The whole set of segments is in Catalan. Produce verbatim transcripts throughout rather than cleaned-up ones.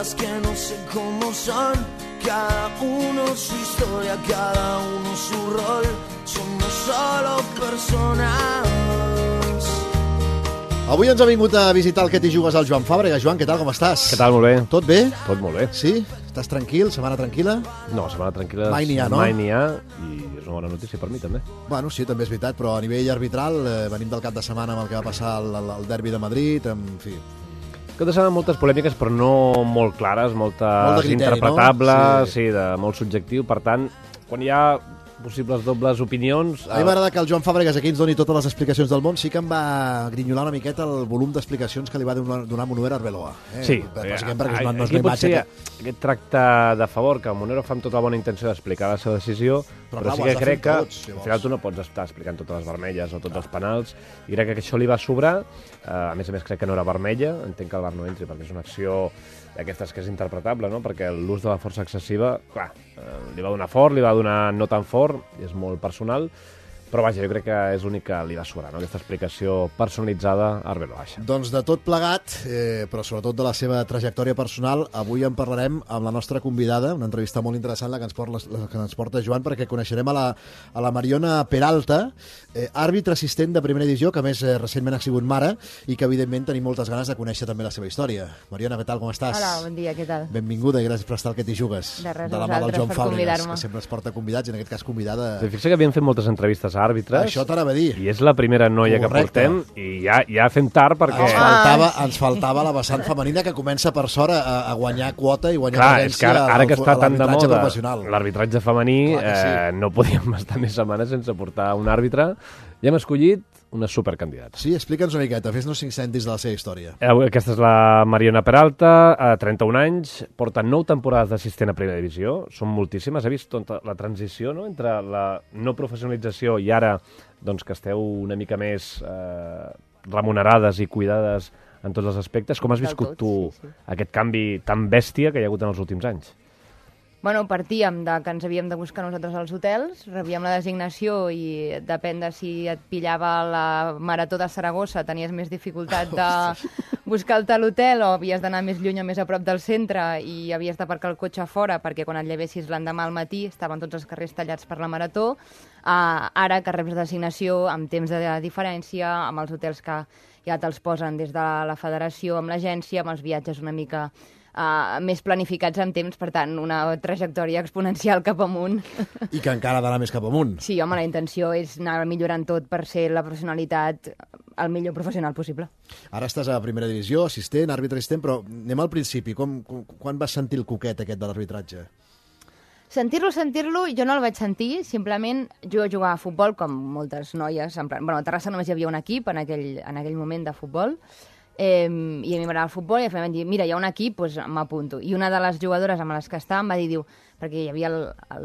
cosas que no sé cómo son. Cada uno su historia, cada uno su rol. Somos solo personas. Avui ens ha vingut a visitar el Que t'hi jugues al Joan Fàbrega. Joan, què tal, com estàs? Què tal, molt bé. Tot bé? Tot molt bé. Sí? Estàs tranquil? Setmana tranquil·la? No, setmana tranquil·la mai n'hi ha, no? Mai n'hi ha, i és una bona notícia per mi, també. Bueno, sí, també és veritat, però a nivell arbitral eh, venim del cap de setmana amb el que va passar al, al, al derbi de Madrid, en fi... Cap de setmana moltes polèmiques, però no molt clares, moltes molt de criteri, interpretables, no? Sí. sí, de molt subjectiu. Per tant, quan hi ha possibles dobles opinions... A mi m'agrada que el Joan Fàbregas aquí ens doni totes les explicacions del món. Sí que em va grinyolar una miqueta el volum d'explicacions que li va donar, donar Monüera a Arbeloa. Eh? Sí. Bàsicament perquè no, no és aquí la imatge potser que... aquest tracte de favor que Monero fa amb tota la bona intenció d'explicar la seva decisió, però, Però clar, sí ho has que de crec fer que tots, si al vols. final tu no pots estar explicant totes les vermelles o tots els penals, i crec que això li va sobrar. Uh, a més a més, crec que no era vermella, entenc que el V A R no entri perquè és una acció d'aquestes que és interpretable, no? Perquè l'ús de la força excessiva, clar, eh, li va donar fort, li va donar no tan fort, és molt personal, però vaja, jo crec que és l'únic que li va sobrar, no? Aquesta explicació personalitzada a Arbeloa. Doncs de tot plegat, eh, però sobretot de la seva trajectòria personal, avui en parlarem amb la nostra convidada, una entrevista molt interessant la que ens porta, la que ens porta Joan, perquè coneixerem a la, a la Mariona Peralta, eh, àrbitre assistent de primera divisió, que a més eh, recentment ha sigut mare, i que evidentment tenim moltes ganes de conèixer també la seva història. Mariona, què tal, com estàs? Hola, bon dia, què tal? Benvinguda i gràcies per estar al Que t'hi jugues. De res, de la mà del vosaltres, Joan per Fàbregas, convidar-me. que sempre es porta convidats, i en aquest cas convidada... Fixa que havíem fet moltes entrevistes a àrbitres. Això t'anava a dir. I és la primera noia Correcte. que portem, i ja, ja fem tard perquè... Ens faltava, ens faltava la vessant femenina que comença per sort a, a guanyar quota i guanyar Clar, és presència que ara, ara que està a tan de l'arbitratge moda professional. l'arbitratge femení, Clar que sí. eh, no podíem estar més setmanes sense portar un àrbitre. Ja hem escollit una supercandidata. Sí, explica'ns una miqueta, fes-nos cinc cèntims de la seva història. Eh, Aquesta és la Mariona Peralta, a trenta-un anys, porta nou temporades d'assistent a primera divisió, són moltíssimes. He vist tota la transició, no?, entre la no professionalització i ara doncs, que esteu una mica més eh, remunerades i cuidades en tots els aspectes. Com has Del viscut tot, tu sí, sí. aquest canvi tan bèstia que hi ha hagut en els últims anys? Bueno, partíem de que ens havíem de buscar nosaltres als hotels, rebíem la designació i depèn de si et pillava la Marató de Saragossa, tenies més dificultat de buscar-te a l'hotel o havies d'anar més lluny o més a prop del centre i havies d'aparcar el cotxe fora perquè quan et llevessis l'endemà al matí estaven tots els carrers tallats per la Marató. Uh, ara que reps designació amb temps de diferència, amb els hotels que ja te'ls posen des de la federació, amb l'agència, amb els viatges una mica... Uh, més planificats en temps, per tant, una trajectòria exponencial cap amunt. I que encara ha d'anar més cap amunt. Sí, home, la intenció és anar millorant tot per ser la professionalitat el millor professional possible. Ara estàs a primera divisió, assistent, àrbitre assistent, però anem al principi. Com, com, quan vas sentir el coquet aquest de l'arbitratge? Sentir-lo, sentir-lo, jo no el vaig sentir, simplement jo jugava a futbol, com moltes noies, en plan, bueno, a Terrassa només hi havia un equip en aquell, en aquell moment de futbol, Eh, i a mi m'agrada el futbol i em van dir, mira, hi ha un equip, doncs m'apunto. I una de les jugadores amb les que estava em va dir, diu, perquè hi havia el,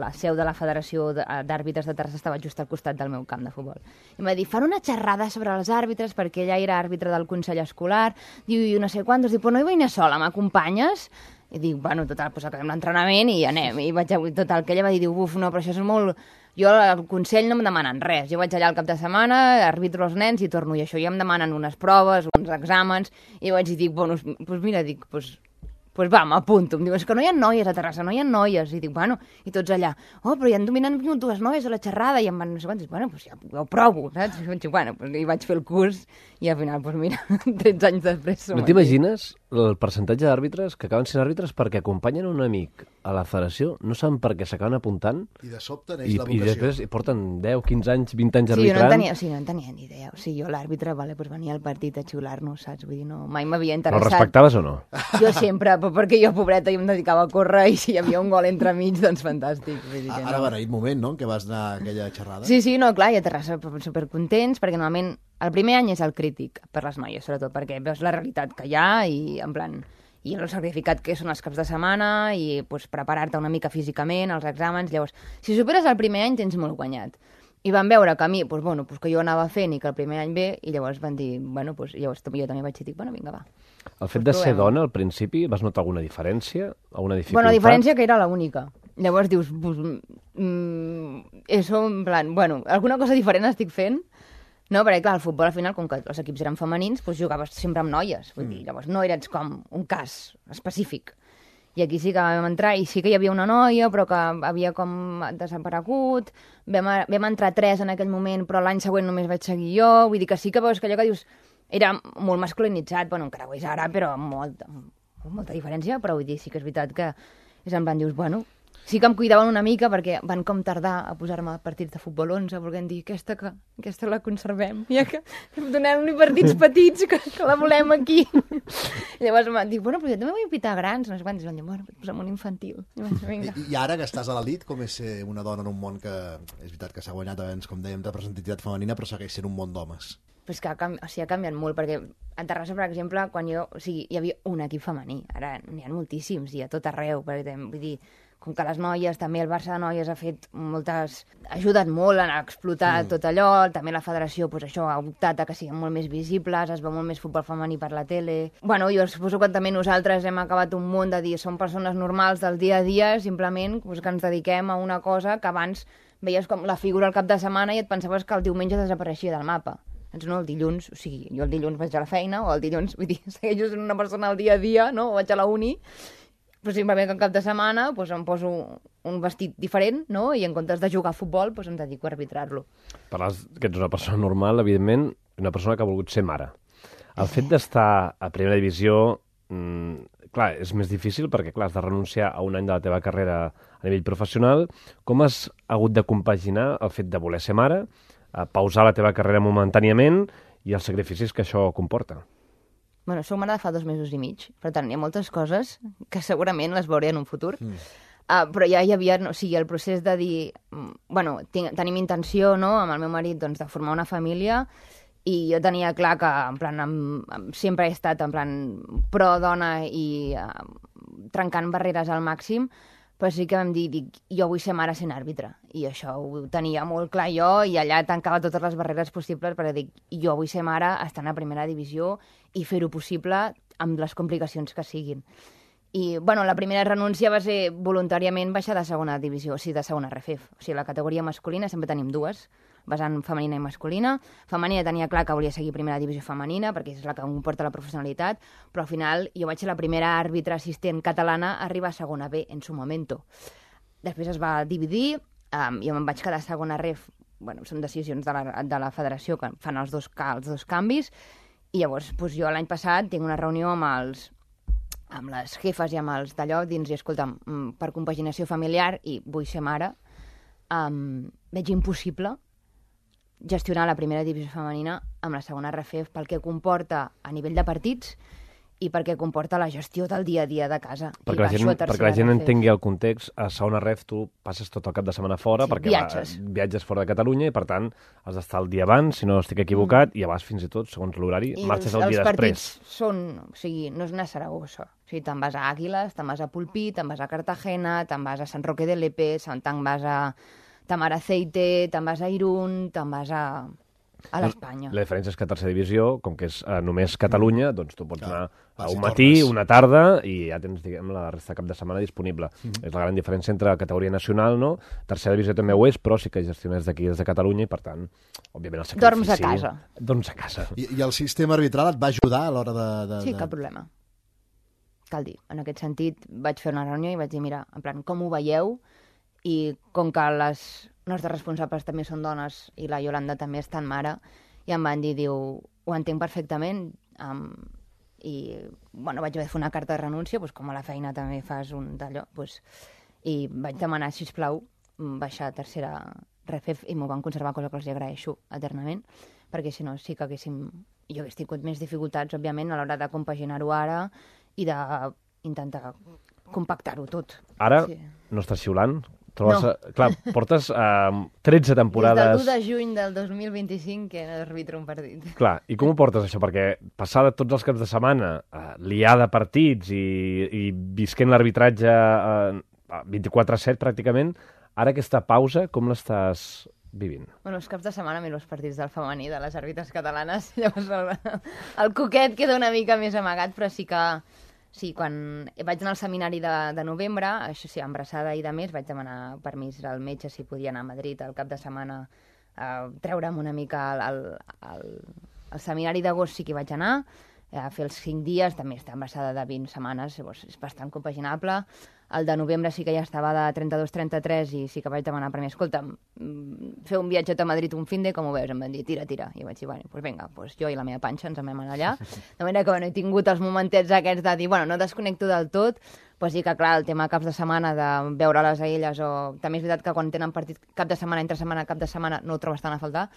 la seu de la Federació d'Àrbitres de Terrassa, estava just al costat del meu camp de futbol. I em va dir, fan una xerrada sobre els àrbitres, perquè ella era àrbitre del Consell Escolar, diu, i no sé quantos, diu, però no hi vull anar sola, m'acompanyes? I dic, bueno, total, doncs acabem l'entrenament i anem. I vaig, total, que ella va dir, uf, no, però això és molt... Jo al Consell no em demanen res. Jo vaig allà al cap de setmana, arbitro els nens i torno. I això ja em demanen unes proves, uns exàmens, i vaig dir, bueno, doncs mira, dic, doncs, doncs va, m'apunto. Em diu, és que no hi ha noies a Terrassa, no hi ha noies. I dic, bueno, i tots allà, oh, però ja han dominat dues noies a la xerrada, i em van, no sé quants, bueno, doncs ja, ja ho provo, saps? I vaig dir, bueno, doncs, i vaig fer el curs, i al final, doncs mira, tretze anys després... No t'imagines el percentatge d'àrbitres que acaben sent àrbitres perquè acompanyen un amic a la federació, no saben per què s'acaben apuntant, I de sobte neix i, la i vocació. després hi porten deu, quinze anys, vint anys Sí, jo no en arbitrant. tenia, sí, no en tenia ni idea. O sigui, jo l'àrbitre, vale, pues venia al partit a xiular-nos, saps? Vull dir, no, mai m'havia Però el interessat. respectaves o no? Jo sempre, però perquè jo, pobreta, jo em dedicava a córrer i si hi havia un gol entre mig, doncs fantàstic. Vull dir que Ara no. va haver moment, no?, en què vas anar a aquella xerrada. Sí, sí, no, clar, i a Terrassa supercontents, perquè normalment el primer any és el crític per les noies, sobretot, perquè veus la realitat que hi ha i, en plan, i el sacrificat que són els caps de setmana i pues, preparar-te una mica físicament, els exàmens. Llavors, si superes el primer any, tens molt guanyat. I van veure que a mi, pues, bueno, pues, que jo anava fent i que el primer any bé, i llavors van dir, bueno, pues, llavors jo també vaig dir, bueno, vinga, va. El fet de ser dona al principi, vas notar alguna diferència? Alguna dificultat? Bueno, la diferència que era l'única. Llavors dius, pues, mm, eso, en plan, bueno, alguna cosa diferent estic fent. No, perquè clar, el futbol al final, com que els equips eren femenins, doncs jugaves sempre amb noies. Vull dir, llavors no eres com un cas específic. I aquí sí que vam entrar, i sí que hi havia una noia, però que havia com desaparegut, vam, vam entrar tres en aquell moment, però l'any següent només vaig seguir jo, vull dir que sí que veus que allò que dius era molt masculinitzat, bueno, encara ho és ara, però amb molta, amb molta diferència, però vull dir, sí que és veritat que és en plan, dius, bueno, sí que em cuidaven una mica perquè van com tardar a posar-me partits de futbol onze, perquè em dir, aquesta, que, aquesta la conservem, ja que donem-li partits petits, que, que la volem aquí. I llavors em van dir, bueno, però jo també vull pitar grans, no sé quants, i van dir, bueno, posa'm un infantil. I, vaig, vinga. I, I ara que estàs a l'elit, com és ser una dona en un món que, és veritat que s'ha guanyat abans, com dèiem, de representativitat femenina, però segueix sent un món d'homes? Però és que ha, canvi... o sigui, ha canviat molt, perquè a Terrassa, per exemple, quan jo... O sigui, hi havia un equip femení, ara n'hi ha moltíssims, i a tot arreu, perquè, vull dir, com que les noies, també el Barça de noies ha fet moltes... ha ajudat molt a explotar mm. tot allò, també la federació, doncs això, ha optat a que siguin molt més visibles, es veu molt més futbol femení per la tele... Bueno, jo suposo que també nosaltres hem acabat un munt de dir, som persones normals del dia a dia, simplement doncs, que ens dediquem a una cosa que abans veies com la figura al cap de setmana i et pensaves que el diumenge desapareixia del mapa. Doncs no, el dilluns, o sigui, jo el dilluns vaig a la feina, o el dilluns, vull dir, segueixo sent una persona al dia a dia, no? O vaig a la uni, però simplement que en cap de setmana doncs, em poso un vestit diferent, no? I en comptes de jugar a futbol doncs, em dedico a arbitrar-lo. Parles que ets una persona normal, evidentment, una persona que ha volgut ser mare. El fet d'estar a primera divisió, mmm, clar, és més difícil perquè, clar, has de renunciar a un any de la teva carrera a nivell professional. Com has hagut de compaginar el fet de voler ser mare, a pausar la teva carrera momentàniament i els sacrificis que això comporta? Bueno, soc mare de fa dos mesos i mig, per tant, hi ha moltes coses que segurament les veuré en un futur. Mm. Uh, però ja hi havia, no, o sigui, el procés de dir... Bueno, tinc, tenim intenció, no?, amb el meu marit, doncs, de formar una família, i jo tenia clar que, en plan, em, em, sempre he estat, en plan, pro-dona i uh, trencant barreres al màxim, però sí que vam dir, dic, jo vull ser mare sent àrbitre. I això ho tenia molt clar jo, i allà tancava totes les barreres possibles, perquè dic, jo vull ser mare estant a primera divisió i fer-ho possible amb les complicacions que siguin. I, bueno, la primera renúncia va ser voluntàriament baixar de segona divisió, o sigui, de segona R F E F. O sigui, la categoria masculina sempre tenim dues, vessant femenina i masculina. Femenina tenia clar que volia seguir primera divisió femenina, perquè és la que comporta la professionalitat, però al final jo vaig ser la primera àrbitre assistent catalana a arribar a segona B en su momento. Després es va dividir, um, jo me'n vaig quedar a segona R F, bueno, són decisions de la, de la federació que fan els dos, els dos canvis, i llavors doncs, jo l'any passat tinc una reunió amb els amb les jefes i amb els d'allò, dins, i escolta'm, per compaginació familiar, i vull ser mare, um, veig impossible gestionar la primera divisió femenina amb la segona R F E F pel que comporta a nivell de partits i perquè comporta la gestió del dia a dia de casa. Perquè, la gent, perquè la gent entengui el context, a segona R F tu passes tot el cap de setmana fora, sí, perquè viatges. Va, viatges fora de Catalunya i, per tant, has d'estar el dia abans, si no estic equivocat, mm. i abans fins i tot, segons l'horari, marxes el dia després. I els partits són... O sigui, no és una Saragossa. O sigui, te'n vas a Àguiles, te'n vas a Pulpí, te'n vas a Cartagena, te'n vas a Sant Roque de Lepe, te'n vas a Tamaraceite, te'n vas a Irún, te'n vas a... a l'Espanya. La diferència és que a tercera divisió, com que és uh, només Catalunya, doncs tu pots anar ah, a un matí, tornes. una tarda, i ja tens, diguem, la resta de cap de setmana disponible. Mm-hmm. És la gran diferència entre la categoria nacional, no? Tercera divisió també ho és, però sí que gestiones d'aquí des de Catalunya i, per tant, òbviament el sacrifici... Dorms a casa. Dorms a casa. I, I el sistema arbitral et va ajudar a l'hora de, de... Sí, cap problema. Cal dir, en aquest sentit, vaig fer una reunió i vaig dir, mira, en plan, com ho veieu? I com que les nostres responsables també són dones i la Iolanda també és tan mare, i em van dir, diu, ho entenc perfectament, um, i bueno, vaig haver de fer una carta de renúncia, doncs, com a la feina també fas un d'allò, doncs, i vaig demanar, sisplau, baixar a tercera R F E F i m'ho van conservar, cosa que els agraeixo eternament, perquè si no sí que haguéssim, jo hagués tingut més dificultats, òbviament, a l'hora de compaginar-ho ara i d'intentar compactar-ho tot. Ara sí. No estàs xiulant? Trobes, no. Clar, portes uh, tretze temporades... Des del u de juny del dos mil vint-i-cinc que no arbitro un partit. Clar, i com ho portes això? Perquè passar de tots els caps de setmana, uh, liar de partits i, i visquent l'arbitratge uh, vint-i-quatre set pràcticament, ara aquesta pausa, com l'estàs vivint? Bueno, els caps de setmana miro els partits del femení, de les àrbitres catalanes, llavors el, el coquet queda una mica més amagat, però sí que... Sí, quan vaig anar al seminari de, de novembre, això sí, embarassada i de més, vaig demanar permís al metge si podia anar a Madrid al cap de setmana a treure'm una mica al, al, al, al seminari d'agost, sí que hi vaig anar, a fer els cinc dies, també està embarassada de vint setmanes, llavors és bastant compaginable. El de novembre sí que ja estava de trenta-dos trenta-tres i sí que vaig demanar per mi, escolta, fer un viatge a Madrid un fin de, com ho veus? Em van dir, tira, tira. I vaig dir, bueno, doncs vinga, doncs jo i la meva panxa ens en vam anar allà. De manera que bueno, he tingut els momentets aquests de dir, bueno, no desconnecto del tot, però sí que, clar, el tema caps de setmana, de veure-les a elles, o també és veritat que quan tenen partit cap de setmana, entre setmana, cap de setmana, no ho trobes tant a faltar,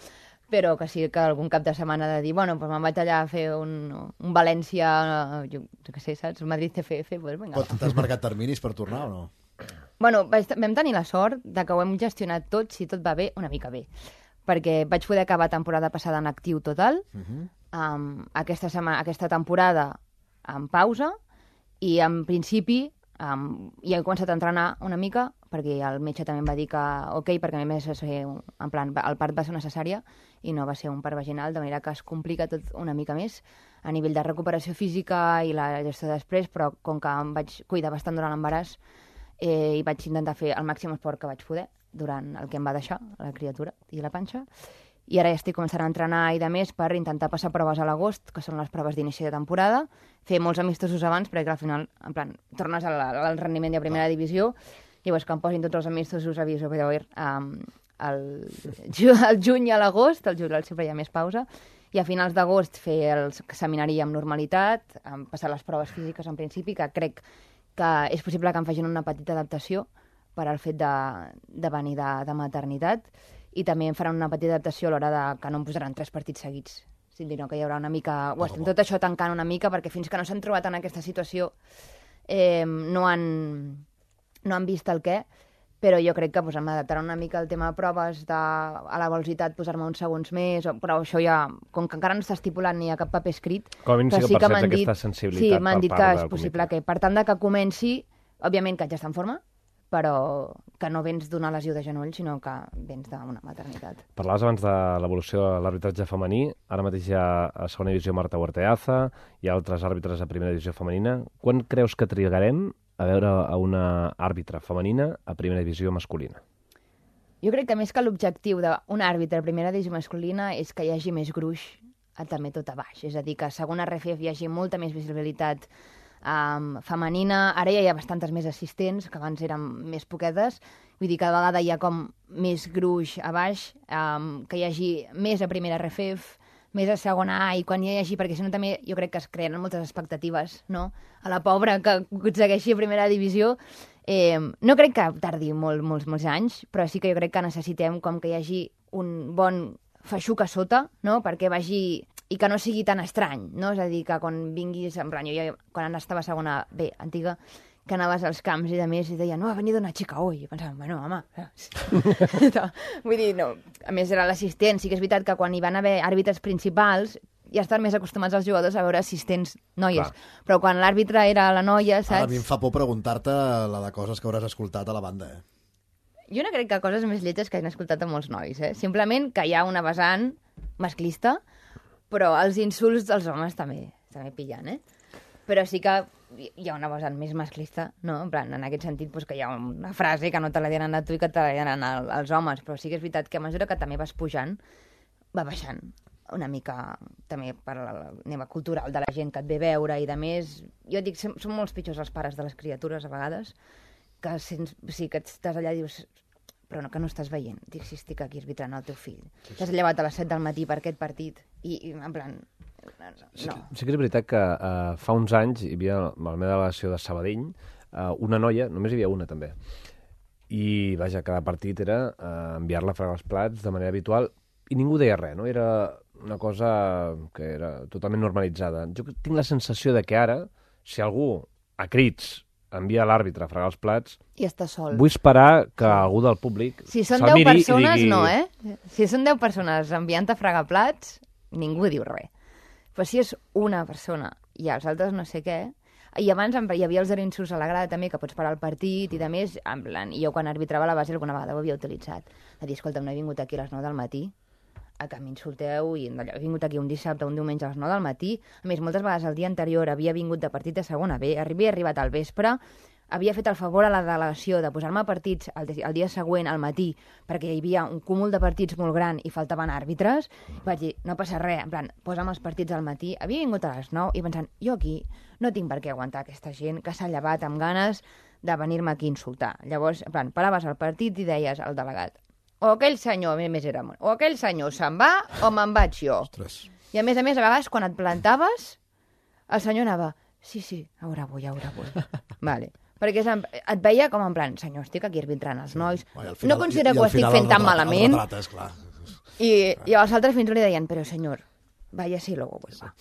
però que sí que algun cap de setmana de dir, bueno, doncs me'n vaig allà a fer un, un València, jo, jo què sé, saps? Madrid C F F, doncs vinga. Pot, t'has marcat terminis per tornar o no? Bueno, vaig, vam tenir la sort de que ho hem gestionat tot, si tot va bé, una mica bé. Perquè vaig poder acabar temporada passada en actiu total, uh-huh. um, aquesta, setmana, aquesta temporada en pausa, i en principi um, ja he començat a entrenar una mica, perquè el metge també em va dir que ok, perquè a més ser, en plan, el part va ser necessària i no va ser un part vaginal, de manera que es complica tot una mica més a nivell de recuperació física i la gestió després, però com que em vaig cuidar bastant durant l'embaràs eh, i vaig intentar fer el màxim esport que vaig poder durant el que em va deixar, la criatura i la panxa, i ara ja estic començant a entrenar i de més per intentar passar proves a l'agost, que són les proves d'inici de temporada, fer molts amistosos abans, perquè al final, en plan, tornes al, al rendiment de primera divisió, llavors que em posin tots els amistosos a viso, però um, el, el juny i a l'agost, el juliol sempre hi ha més pausa, i a finals d'agost fer el seminari amb normalitat, um, passar les proves físiques en principi, que crec que és possible que em facin una petita adaptació per al fet de, de venir de, de maternitat, i també em faran una petita adaptació a l'hora de que no em posaran tres partits seguits, sinó que hi haurà una mica... Ho estem tot això tancant una mica, perquè fins que no s'han trobat en aquesta situació eh, no han... no han vist el què, però jo crec que pues, em adaptarà una mica el tema de proves, de, a la velocitat posar-me uns segons més, però això ja, com que encara no està estipulat ni a cap paper escrit... Com a mínim sí que, sí que perceps dit, aquesta sensibilitat sí, per m'han dit part que del és possible comitè. que, per tant de que comenci, òbviament que ja està en forma, però que no vens d'una lesió de genoll, sinó que vens d'una maternitat. Parlaves abans de l'evolució de l'arbitratge femení. Ara mateix hi ha a segona divisió Marta Huerteaza, hi ha altres àrbitres a primera divisió femenina. Quan creus que trigarem a veure a una àrbitra femenina a primera divisió masculina? Jo crec que més que l'objectiu d'un àrbitre a primera divisió masculina és que hi hagi més gruix a, també tot a baix. És a dir, que a segona R F F hi hagi molta més visibilitat um, femenina. Ara ja hi ha bastantes més assistents, que abans eren més poquetes. Vull dir, cada vegada hi ha com més gruix a baix, um, que hi hagi més a primera R F F, més a segona A, i quan hi hagi, perquè si no també jo crec que es creen moltes expectatives, no?, a la pobra que aconsegueixi a primera divisió. Eh, no crec que tardi molt, molts, molts anys, però sí que jo crec que necessitem com que hi hagi un bon feixuc a sota, no?, perquè vagi... i que no sigui tan estrany, no? És a dir, que quan vinguis... En plan, jo ja, quan estava a segona B, antiga, que anaves als camps i de més i deien, no, ha venit una xica hoy. I pensava, bueno, home... no, vull dir, no. A més, era l'assistent. Sí que és veritat que quan hi van haver àrbitres principals ja estan més acostumats els jugadors a veure assistents noies. Clar. Però quan l'àrbitre era la noia, saps? Ara a mi em fa por preguntar-te la de coses que hauràs escoltat a la banda, eh? Jo no crec que coses més lletges que hagin escoltat a molts nois, eh? Simplement que hi ha una vessant masclista, però els insults dels homes també, també pillen, eh? Però sí que hi ha una vessant més masclista, no? En plan, en aquest sentit, doncs, que hi ha una frase que no te la diran a tu i que te la diran als homes, però sí que és veritat que a mesura que també vas pujant, va baixant una mica també per la neva cultural de la gent que et ve a veure i de més. Jo dic, són molts pitjors els pares de les criatures a vegades, que sents, sí, que estàs allà i dius, però no, que no estàs veient. Dic, si estic aquí arbitrant el teu fill. T'has llevat a les set del matí per aquest partit i, i en plan... No. Sí, sí que és veritat que uh, fa uns anys hi havia a la meva delegació de Sabadell uh, una noia, només hi havia una també, i vaja, cada partit era uh, enviar-la a fregar els plats de manera habitual i ningú deia res, no? Era una cosa que era totalment normalitzada. Jo tinc la sensació de que ara, si algú a crits envia l'àrbitre a fregar els plats... I està sol. Vull esperar que sí. algú del públic si són deu persones, digui... no, eh? Si són deu persones enviant a fregar plats, ningú diu res. Però si és una persona i els altres no sé què... I abans hi havia els insults a la grada també, que pots parar el partit i de més, en plan, i jo quan arbitrava a la base alguna vegada ho havia utilitzat. A dir, escolta, no he vingut aquí a les nou del matí a que m'insulteu, i he vingut aquí un dissabte, un diumenge a les nou del matí. A més, moltes vegades el dia anterior havia vingut de partit de segona B, havia arribat al vespre, havia fet el favor a la delegació de posar-me partits el, el dia següent, al matí, perquè hi havia un cúmul de partits molt gran i faltaven àrbitres, vaig dir, no passa res, en plan, posa'm els partits al matí. Havia vingut a les nou i pensant, jo aquí no tinc per què aguantar aquesta gent que s'ha llevat amb ganes de venir-me aquí a insultar. Llavors, en plan, paraves el partit i deies al delegat, o aquell senyor, més era, o aquell senyor se'n va o me'n vaig jo. Ostres. I a més a més, a vegades, quan et plantaves, el senyor anava, sí, sí, ara vull, ara vull. Vale. Perquè et veia com en plan, senyor, estic aquí arbitrant els nois, Ai, final, no considero que ho estic fent tan malament. Retrates, clar. I, I els altres fins i tot li deien, però senyor, vaya si luego vuelva.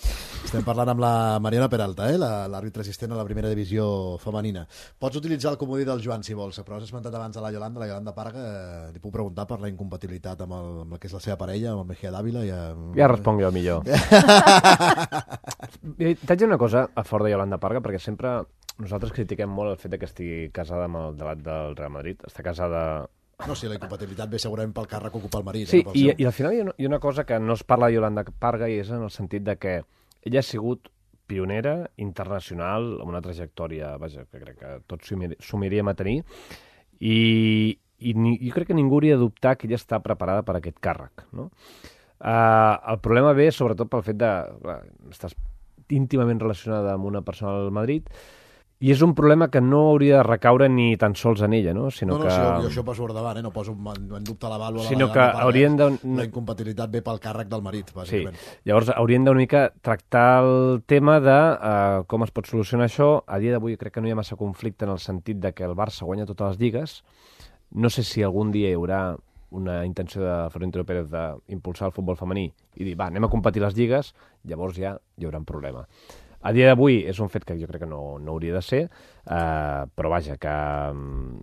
Estem parlant amb la Mariona Peralta, eh? l'àrbitre assistent a la primera divisió femenina. Pots utilitzar el comodí del Joan, si vols, però has esmentat abans a la Yolanda, la Yolanda Parga, eh, li puc preguntar per la incompatibilitat amb el, amb el que és la seva parella, amb el Mejía Dávila. Ja, ja responc jo millor. T'haig dir una cosa a fora de Yolanda Parga, perquè sempre nosaltres critiquem molt el fet que estigui casada amb el debat del Real Madrid. Està casada... No, sí, la incompatibilitat ve segurament pel càrrec que ocupa el marit. Sí, eh, i, i al final hi ha, una, hi ha una cosa que no es parla de Yolanda Parga i és en el sentit de que ella ha sigut pionera internacional amb una trajectòria, vaja, que crec que tots sumiríem a tenir, i, i ni, jo crec que ningú hauria de dubtar que ella està preparada per a aquest càrrec, no? Uh, el problema ve sobretot pel fet de... Clar, estàs íntimament relacionada amb una persona al Madrid, i és un problema que no hauria de recaure ni tan sols en ella, no? Sinó no, no, que... sí, jo, jo això poso per davant, eh? No poso en, en dubte la vàlua. Sinó la que haurien de... La incompatibilitat ve pel càrrec del marit, bàsicament. Sí, llavors haurien d'una mica tractar el tema de uh, com es pot solucionar això. A dia d'avui crec que no hi ha massa conflicte en el sentit de que el Barça guanya totes les lligues. No sé si algun dia hi haurà una intenció de Florentino Pérez d'impulsar el futbol femení i dir, va, anem a competir les lligues, llavors ja hi haurà un problema. A dia d'avui és un fet que jo crec que no, no hauria de ser, eh, però vaja, que um,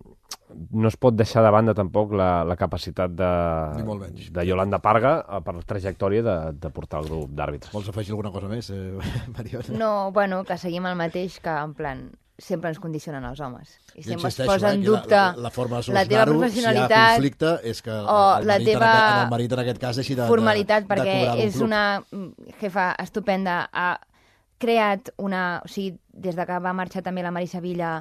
no es pot deixar de banda tampoc la, la capacitat de, de Yolanda Parga per la trajectòria de, de portar el grup d'àrbitres. Vols afegir alguna cosa més, eh, Mariona? No, bueno, que seguim el mateix, que en plan sempre ens condicionen els homes. I sempre es eh, posa en dubte la, la, la, forma de la teva professionalitat, si hi ha conflicte, és que el, o el, la marit teva en aquest, el marit en aquest cas deixi de, formalitat, de, de perquè cobrar és una jefa estupenda, ha creat una... O sigui, des de que va marxar també la Marisa Villa,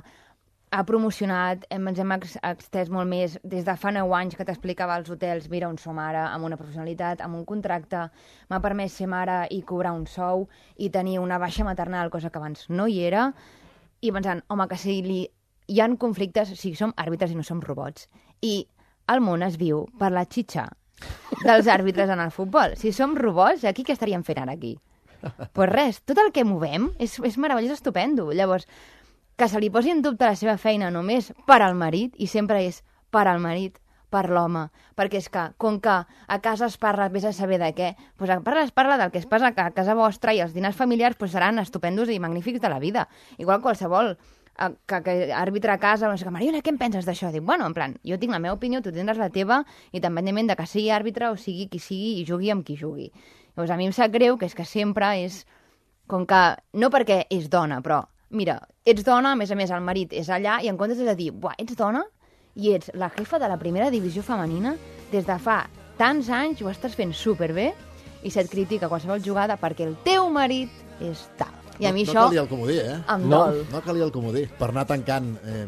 ha promocionat, hem, ens hem ex, extès molt més, des de fa nou anys que t'explicava als hotels, mira on som ara, amb una professionalitat, amb un contracte, m'ha permès ser mare i cobrar un sou i tenir una baixa maternal, cosa que abans no hi era, i pensant, home, que si li... hi ha conflictes, o sigui, som àrbitres i no som robots, i el món es viu per la xitxa dels àrbitres en el futbol. Si som robots, aquí què estaríem fent ara aquí? Pues res, tot el que movem és, és meravellós, estupendo. Llavors, que se li posi en dubte la seva feina només per al marit, i sempre és per al marit, per l'home, perquè és que, com que a casa es parla, vés a saber de què, doncs a parla, es parla del que es passa a casa vostra, i els dinars familiars doncs seran estupendos i magnífics de la vida. Igual qualsevol que, que àrbitre a casa, no sé, Mariona, què en penses d'això? Dic, bueno, en plan, jo tinc la meva opinió, tu tindràs la teva, i independentment de que sigui àrbitre o sigui qui sigui i jugui amb qui jugui. Llavors, a mi em sap greu que és que sempre és com que, no perquè és dona, però, mira, ets dona, a més a més el marit és allà, i en comptes de dir, buah, ets dona i ets la jefa de la primera divisió femenina, des de fa tants anys ho estàs fent superbé i se't critica qualsevol jugada perquè el teu marit és tal. I a mi no, això... No calia el comodí, eh? Em no, dol. No calia el comodí. Per anar tancant, eh,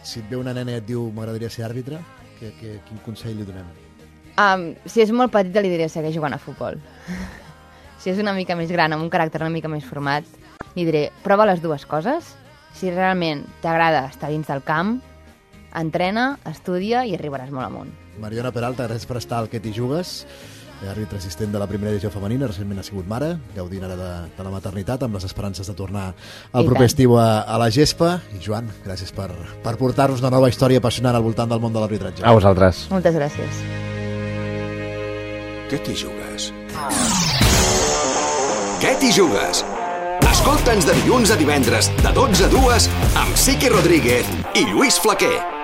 si et ve una nena i et diu m'agradaria ser àrbitre, que, que, quin consell li donem? Um, si és molt petita li diré segueix jugant a futbol. Si és una mica més gran, amb un caràcter una mica més format, li diré prova les dues coses. Si realment t'agrada estar dins del camp, entrena, estudia i arribaràs molt amunt. Mariona Peralta, gràcies per estar al Que t'hi jugues. Àrbitre assistent de la primera divisió femenina, recentment ha sigut mare, gaudint ara de, de la maternitat, amb les esperances de tornar al proper estiu a, a la gespa. I Joan, gràcies per, per portar-nos una nova història apassionant al voltant del món de l'arbitratge. A vosaltres. Moltes gràcies. Què t'hi jugues? Què t'hi jugues? Escolta'ns de dilluns a divendres, de dotze a dues, amb Siqui Rodríguez i Lluís Flaquer.